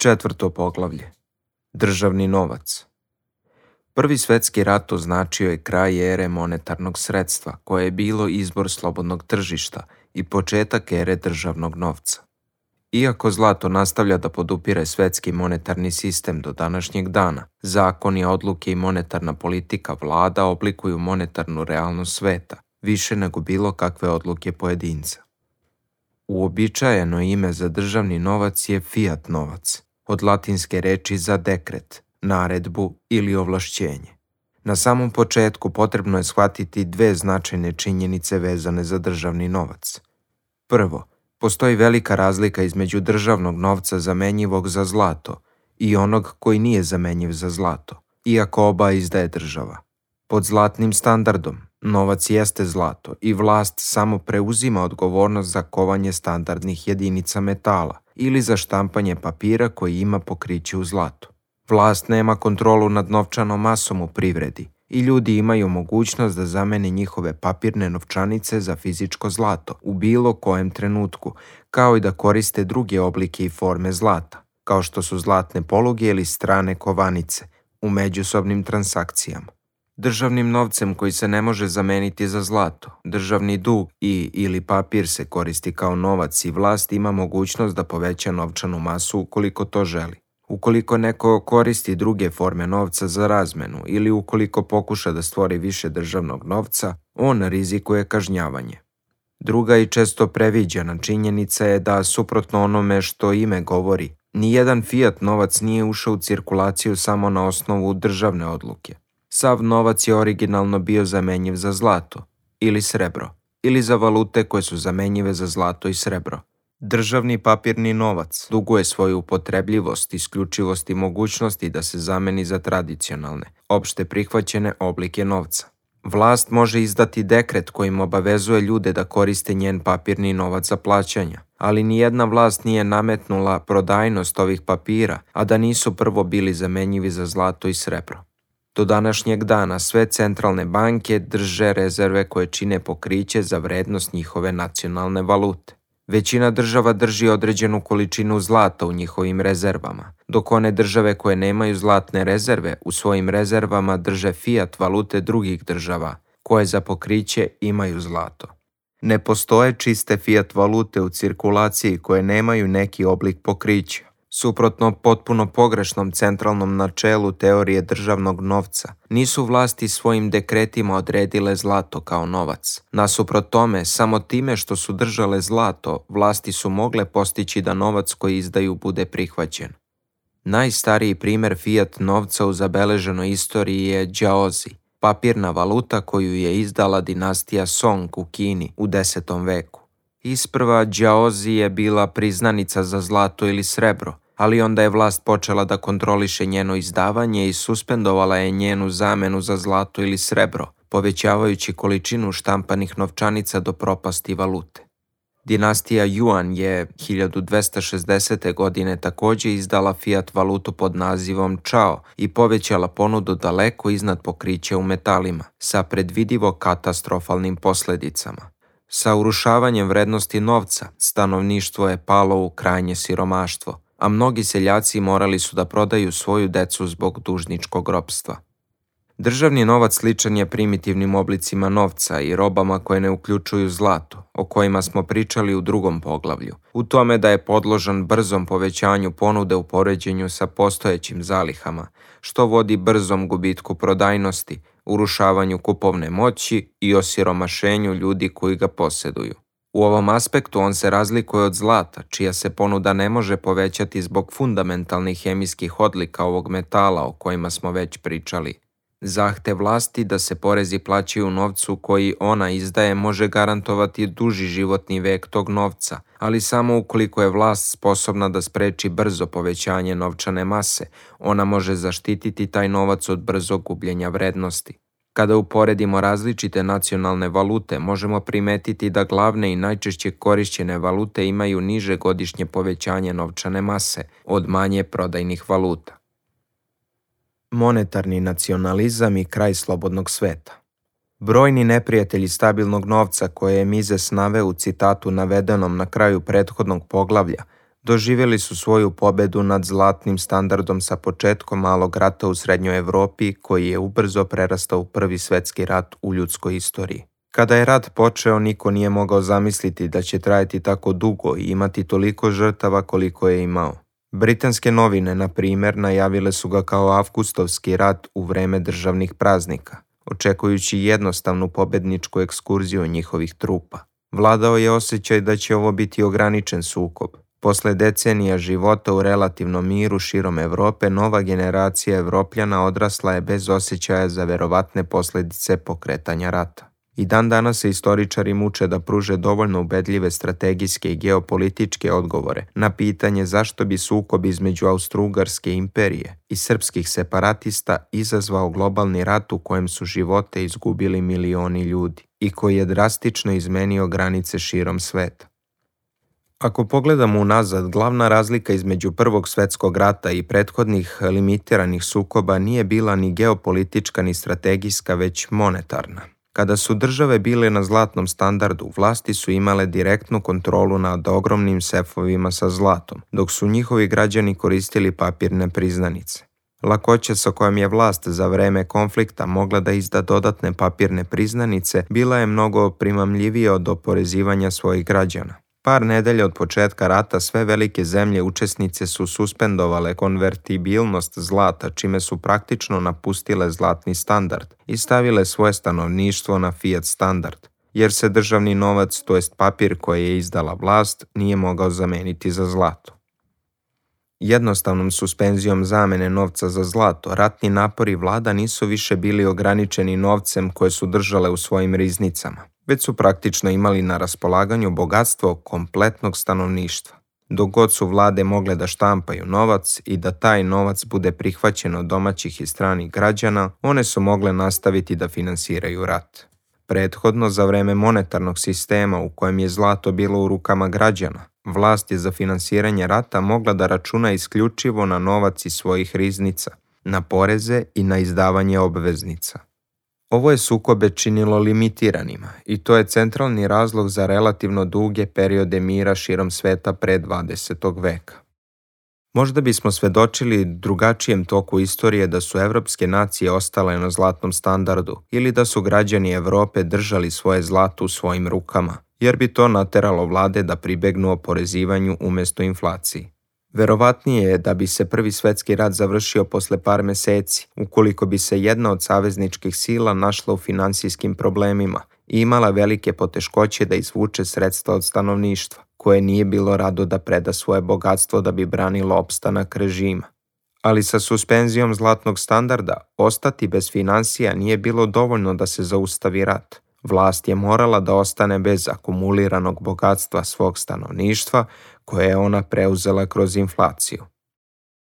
Četvrto poglavlje. Državni novac. Prvi svetski rat označio je kraj ere monetarnog sredstva, koje je bilo izbor slobodnog tržišta i početak ere državnog novca. Iako zlato nastavlja da podupire svetski monetarni sistem do današnjeg dana, zakoni, odluke i monetarna politika vlada oblikuju monetarnu realnost sveta, više nego bilo kakve odluke pojedinca. Uobičajeno ime za državni novac je fiat novac, od latinske reči za dekret, naredbu ili ovlašćenje. Na samom početku potrebno je shvatiti dve značajne činjenice vezane za državni novac. Prvo, postoji velika razlika između državnog novca zamenjivog za zlato i onog koji nije zamenjiv za zlato, iako oba izdaje država. Pod zlatnim standardom, novac jeste zlato i vlast samo preuzima odgovornost za kovanje standardnih jedinica metala ili za štampanje papira koji ima pokriće u zlatu. Vlast nema kontrolu nad novčanom masom u privredi i ljudi imaju mogućnost da zamene njihove papirne novčanice za fizičko zlato u bilo kojem trenutku, kao i da koriste druge oblike i forme zlata, kao što su zlatne poluge ili strane kovanice, u međusobnim transakcijama. Državnim novcem koji se ne može zameniti za zlato, državni dug ili papir se koristi kao novac i vlast ima mogućnost da poveća novčanu masu ukoliko to želi. Ukoliko neko koristi druge forme novca za razmenu ili ukoliko pokuša da stvori više državnog novca, on rizikuje kažnjavanje. Druga i često previđena činjenica je da, suprotno onome što ime govori, nijedan fiat novac nije ušao u cirkulaciju samo na osnovu državne odluke. Sav novac je originalno bio zamenjiv za zlato ili srebro, ili za valute koje su zamenjive za zlato i srebro. Državni papirni novac duguje svoju upotrebljivost, isključivost i mogućnosti da se zameni za tradicionalne, opšte prihvaćene oblike novca. Vlast može izdati dekret kojim obavezuje ljude da koriste njen papirni novac za plaćanja, ali nijedna vlast nije nametnula prodajnost ovih papira, a da nisu prvo bili zamenjivi za zlato i srebro. Do današnjeg dana sve centralne banke drže rezerve koje čine pokriće za vrednost njihove nacionalne valute. Većina država drži određenu količinu zlata u njihovim rezervama, dok one države koje nemaju zlatne rezerve u svojim rezervama drže fiat valute drugih država, koje za pokriće imaju zlato. Ne postoje čiste fiat valute u cirkulaciji koje nemaju neki oblik pokrića. Suprotno potpuno pogrešnom centralnom načelu teorije državnog novca, nisu vlasti svojim dekretima odredile zlato kao novac. Nasuprot tome, samo time što su držale zlato, vlasti su mogle postići da novac koji izdaju bude prihvaćen. Najstariji primjer fiat novca u zabeleženoj istoriji je džaozi, papirna valuta koju je izdala dinastija Song u Kini u 10. veku. Isprva džaozi je bila priznanica za zlato ili srebro, ali onda je vlast počela da kontroliše njeno izdavanje i suspendovala je njenu zamenu za zlato ili srebro, povećavajući količinu štampanih novčanica do propasti valute. Dinastija Yuan je 1260. godine također izdala fiat valutu pod nazivom Chao i povećala ponudu daleko iznad pokrića u metalima, sa predvidivo katastrofalnim posljedicama. Sa urušavanjem vrednosti novca, stanovništvo je palo u krajnje siromaštvo, a mnogi seljaci morali su da prodaju svoju decu zbog dužničkog ropstva. Državni novac sličan je primitivnim oblicima novca i robama koje ne uključuju zlato, o kojima smo pričali u drugom poglavlju, u tome da je podložan brzom povećanju ponude u poređenju sa postojećim zalihama, što vodi brzom gubitku prodajnosti, urušavanju kupovne moći i osiromašenju ljudi koji ga posjeduju. U ovom aspektu on se razlikuje od zlata, čija se ponuda ne može povećati zbog fundamentalnih hemijskih odlika ovog metala o kojima smo već pričali. Zahtev vlasti da se porezi plaćaju u novcu koji ona izdaje može garantovati duži životni vek tog novca, ali samo ukoliko je vlast sposobna da spreči brzo povećanje novčane mase, ona može zaštititi taj novac od brzog gubljenja vrednosti. Kada uporedimo različite nacionalne valute, možemo primetiti da glavne i najčešće korišćene valute imaju niže godišnje povećanje novčane mase od manje prodajnih valuta. Monetarni nacionalizam i kraj slobodnog sveta. Brojni neprijatelji stabilnog novca koje je Mises naveo u citatu navedenom na kraju prethodnog poglavlja Doživjeli su svoju pobedu nad zlatnim standardom sa početkom malog rata u srednjoj Evropi, koji je ubrzo prerastao u Prvi svjetski rat u ljudskoj istoriji. Kada je rat počeo, niko nije mogao zamisliti da će trajati tako dugo i imati toliko žrtava koliko je imao. Britanske novine, na primjer, najavile su ga kao avgustovski rat u vreme državnih praznika, očekujući jednostavnu pobedničku ekskurziju njihovih trupa. Vladao je osjećaj da će ovo biti ograničen sukob. Posle decenija života u relativnom miru širom Evrope, nova generacija Evropljana odrasla je bez osjećaja za verovatne posljedice pokretanja rata. I dan danas se istoričari muče da pruže dovoljno ubedljive strategijske i geopolitičke odgovore na pitanje zašto bi sukob između Austro-Ugarske imperije i srpskih separatista izazvao globalni rat u kojem su živote izgubili milioni ljudi i koji je drastično izmenio granice širom sveta. Ako pogledamo unazad, glavna razlika između Prvog svjetskog rata i prethodnih limitiranih sukoba nije bila ni geopolitička ni strategijska, već monetarna. Kada su države bile na zlatnom standardu, vlasti su imale direktnu kontrolu nad ogromnim sefovima sa zlatom, dok su njihovi građani koristili papirne priznanice. Lakoća sa kojom je vlast za vreme konflikta mogla da izda dodatne papirne priznanice bila je mnogo primamljivija od oporezivanja svojih građana. Par nedelja od početka rata sve velike zemlje učesnice su suspendovale konvertibilnost zlata, čime su praktično napustile zlatni standard i stavile svoje stanovništvo na fiat standard, jer se državni novac, to jest papir koji je izdala vlast, nije mogao zameniti za zlato. Jednostavnom suspenzijom zamene novca za zlato, ratni napori vlada nisu više bili ograničeni novcem koje su držale u svojim riznicama, već su praktično imali na raspolaganju bogatstvo kompletnog stanovništva. Dok god su vlade mogle da štampaju novac i da taj novac bude prihvaćen od domaćih i stranih građana, one su mogle nastaviti da finansiraju rat. Prethodno, za vreme monetarnog sistema u kojem je zlato bilo u rukama građana, vlast je za finansiranje rata mogla da računa isključivo na novac iz svojih riznica, na poreze i na izdavanje obveznica. Ovo je sukobe činilo limitiranima i to je centralni razlog za relativno duge periode mira širom sveta pre 20. veka. Možda bismo svedočili drugačijem toku istorije da su evropske nacije ostale na zlatnom standardu ili da su građani Evrope držali svoje zlato u svojim rukama, jer bi to nateralo vlade da pribegnu oporezivanju umjesto inflaciji. Verovatnije je da bi se Prvi svjetski rat završio posle par meseci, ukoliko bi se jedna od savezničkih sila našla u finansijskim problemima i imala velike poteškoće da izvuče sredstva od stanovništva, koje nije bilo rado da preda svoje bogatstvo da bi branilo opstanak režima. Ali sa suspenzijom zlatnog standarda, ostati bez finansija nije bilo dovoljno da se zaustavi rat. Vlast je morala da ostane bez akumuliranog bogatstva svog stanovništva, koje je ona preuzela kroz inflaciju.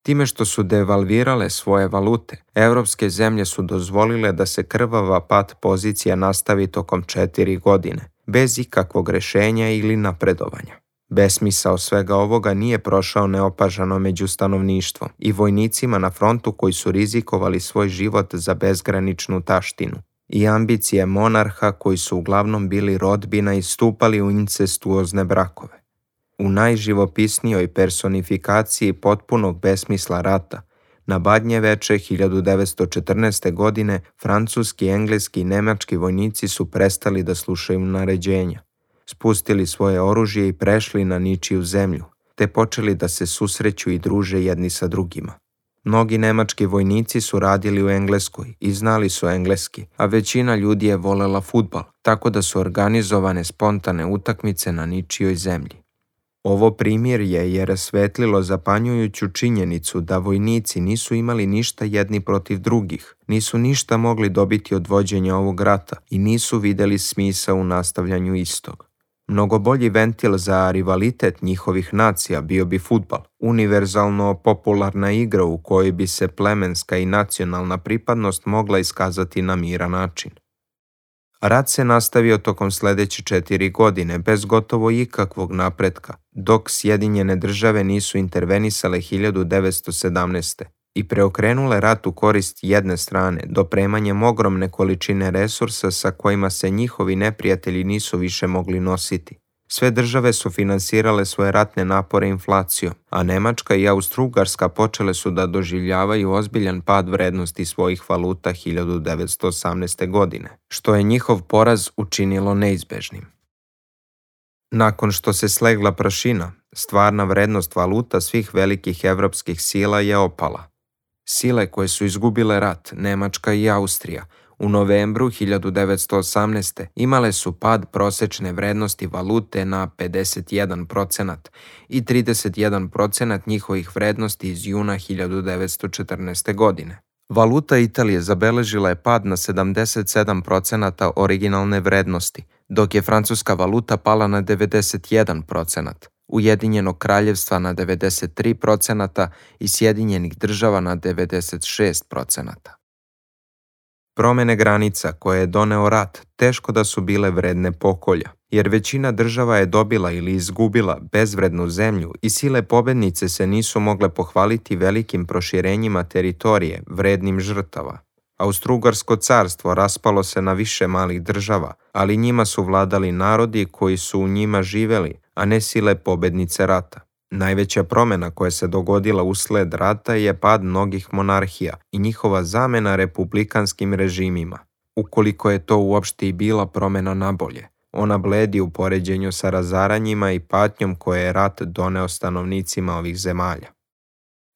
Time što su devalvirale svoje valute, evropske zemlje su dozvolile da se krvava pad pozicija nastavi tokom 4 godine, bez ikakvog rešenja ili napredovanja. Besmisao svega ovoga nije prošao neopažano među stanovništvom i vojnicima na frontu koji su rizikovali svoj život za bezgraničnu taštinu i ambicije monarha koji su uglavnom bili rodbina i stupali u incestuozne brakove. U najživopisnijoj personifikaciji potpunog besmisla rata, na Badnje veče 1914. godine francuski, engleski i nemački vojnici su prestali da slušaju naređenja, spustili svoje oružje i prešli na ničiju zemlju, te počeli da se susreću i druže jedni sa drugima. Mnogi nemački vojnici su radili u Engleskoj i znali su engleski, a većina ljudi je volela fudbal, tako da su organizovane spontane utakmice na ničijoj zemlji. Ovo primirje je rasvetlilo zapanjujuću činjenicu da vojnici nisu imali ništa jedni protiv drugih, nisu ništa mogli dobiti od vođenja ovog rata i nisu videli smisao u nastavljanju istog. Mnogo bolji ventil za rivalitet njihovih nacija bio bi fudbal, univerzalno popularna igra u kojoj bi se plemenska i nacionalna pripadnost mogla iskazati na miran način. Rat se nastavio tokom sledeće 4 godine bez gotovo ikakvog napretka, dok Sjedinjene države nisu intervenisale 1917. i preokrenule rat u korist jedne strane, dopremanjem ogromne količine resursa sa kojima se njihovi neprijatelji nisu više mogli nositi. Sve države su finansirale svoje ratne napore inflacijom, a Nemačka i Austro-Ugarska počele su da doživljavaju ozbiljan pad vrednosti svojih valuta 1918. godine, što je njihov poraz učinilo neizbežnim. Nakon što se slegla prašina, stvarna vrednost valuta svih velikih evropskih sila je opala. Sile koje su izgubile rat, Nemačka i Austrija, u novembru 1918. imale su pad prosečne vrednosti valute na 51% i 31% njihovih vrednosti iz juna 1914. godine. Valuta Italije zabeležila je pad na 77% originalne vrednosti, dok je francuska valuta pala na 91%, Ujedinjenog kraljevstva na 93% i Sjedinjenih država na 96%. Promene granica koje je doneo rat teško da su bile vredne pokolja, jer većina država je dobila ili izgubila bezvrednu zemlju i sile pobednice se nisu mogle pohvaliti velikim proširenjima teritorije vrednim žrtava. Austro-Ugarsko carstvo raspalo se na više malih država, ali njima su vladali narodi koji su u njima živeli, a ne sile pobednice rata. Najveća promena koja se dogodila usled rata je pad mnogih monarhija i njihova zamena republikanskim režimima. Ukoliko je to uopšte i bila promena nabolje, ona bledi u poređenju sa razaranjima i patnjom koje je rat doneo stanovnicima ovih zemalja.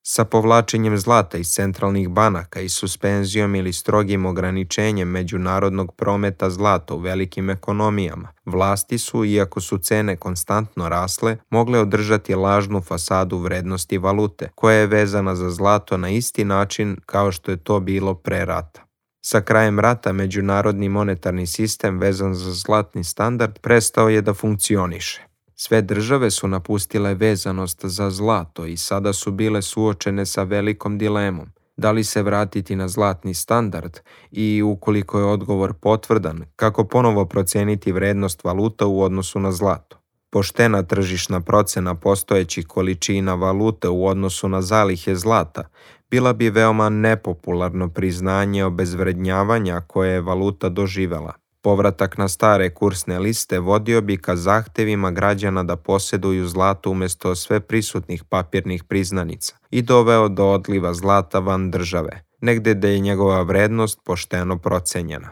Sa povlačenjem zlata iz centralnih banaka i suspenzijom ili strogim ograničenjem međunarodnog prometa zlata u velikim ekonomijama, vlasti su, iako su cene konstantno rasle, mogle održati lažnu fasadu vrednosti valute, koja je vezana za zlato na isti način kao što je to bilo pre rata. Sa krajem rata međunarodni monetarni sistem vezan za zlatni standard prestao je da funkcioniše. Sve države su napustile vezanost za zlato i sada su bile suočene sa velikom dilemom. Da li se vratiti na zlatni standard i, ukoliko je odgovor potvrdan, kako ponovo proceniti vrednost valuta u odnosu na zlato? Poštena tržišna procena postojećih količina valute u odnosu na zalihe zlata bila bi veoma nepopularno priznanje obezvrednjavanja koje je valuta doživela. Povratak na stare kursne liste vodio bi ka zahtevima građana da posjeduju zlato umjesto sve prisutnih papirnih priznanica i doveo do odliva zlata van države, negde da je njegova vrednost pošteno procenjena.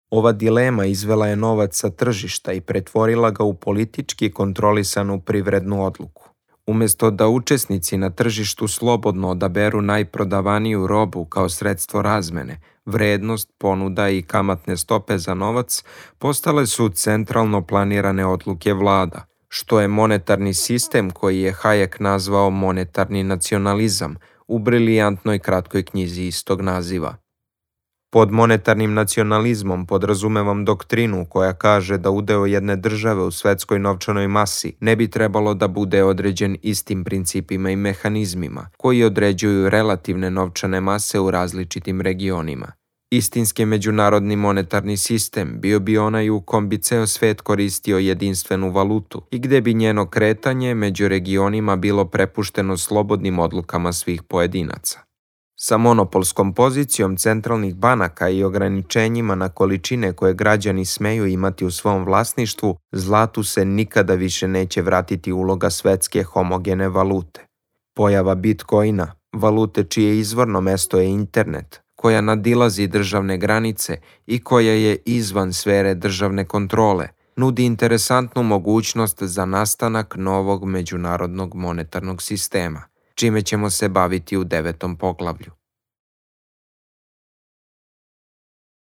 Ova dilema izvela je novac sa tržišta i pretvorila ga u politički kontrolisanu privrednu odluku. Umjesto da učesnici na tržištu slobodno odaberu najprodavaniju robu kao sredstvo razmene, vrednost, ponuda i kamatne stope za novac postale su centralno planirane odluke vlada, što je monetarni sistem koji je Hayek nazvao monetarni nacionalizam u brilijantnoj kratkoj knjizi istog naziva. Pod monetarnim nacionalizmom podrazumevam doktrinu koja kaže da udeo jedne države u svetskoj novčanoj masi ne bi trebalo da bude određen istim principima i mehanizmima koji određuju relativne novčane mase u različitim regionima. Istinski međunarodni monetarni sistem bio bi onaj u kom bi ceo svet koristio jedinstvenu valutu i gde bi njeno kretanje među regionima bilo prepušteno slobodnim odlukama svih pojedinaca. Sa monopolskom pozicijom centralnih banaka i ograničenjima na količine koje građani smeju imati u svom vlasništvu, zlatu se nikada više neće vratiti uloga svetske homogene valute. Pojava Bitcoina, valute čije izvorno mesto je internet, koja nadilazi državne granice i koja je izvan sfere državne kontrole, nudi interesantnu mogućnost za nastanak novog međunarodnog monetarnog sistema, čime ćemo se baviti u 9. poglavlju.